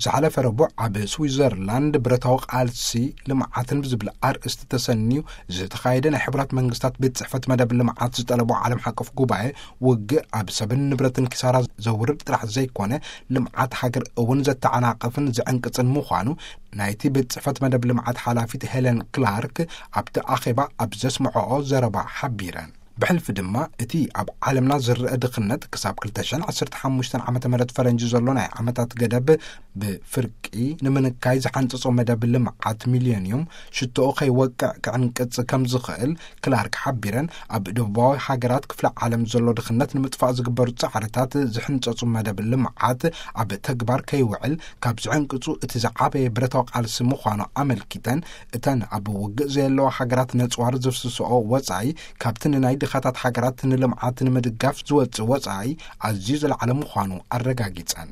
ዝሓለፈ ረቡዕ ኣብ ስዊዘርላንድ ብረታዊ ቃልሲ ልምዓትን ብዝብል ኣርእስቲ ተሰንዩ ዝተኻየደ ናይ ሕቡራት መንግስታት ቤት ጽሕፈት መደብ ልምዓት ዝጠለቦ ዓለም ሓቀፍ ጉባኤ፣ ውግእ ኣብ ሰብን ንብረትን ኪሳራ ዘውርድ ጥራሕ ዘይኮነ፣ ልምዓት ሃገር እውን ዘተዓናቕፍን ዝዕንቅጽን ምዃኑ ናይቲ ቤት ጽሕፈት መደብ ልምዓት ሓላፊት ሄለን ክላርክ ኣብቲ ኣኼባ ኣብ ዘስምዐኦ ዘረባ ሓቢረን። ብሕልፊ ድማ እቲ ኣብ ዓለምና ዝረአ ድኽነት ክሳብ ክልተ ሽሕን ዓሰርተ ሓሙሽተን ዓመተ ምህረት ፈረንጂ ዘሎ ናይ ዓመታት ገደብ ብፍርቂ ንምንካይ ዝሓንጸጾ መደብ ልምዓት ሚልዮንዩም ሽቶኡ ከይወቅዕ ክዕንቅጽ ከም ዝኽእል ክላርክ ሓቢረን፣ ኣብ ደቡባዊ ሃገራት ክፍለ ዓለም ዘሎ ድኽነት ንምጥፋእ ዝግበሩ ጻዕርታት ዝሕንጸጹ መደብ ልምዓት ኣብ ተግባር ከይውዕል ካብ ዝዕንቅጹ እቲ ዝዓበየ ብረታዊ ቃልሲ ምዃኑ ኣመልኪተን፣ እተን ኣብ ውግእ ዘየለዋ ሃገራት ነጽዋር ዝፍስስኦ ወጻኢ ካብቲ ንናይ ድኻታት ሃገራት ንልምዓት ንምድጋፍ ዝወጽእ ወጻኢ ኣዝዩ ዝለዓለ ምዃኑ ኣረጋጊጸን።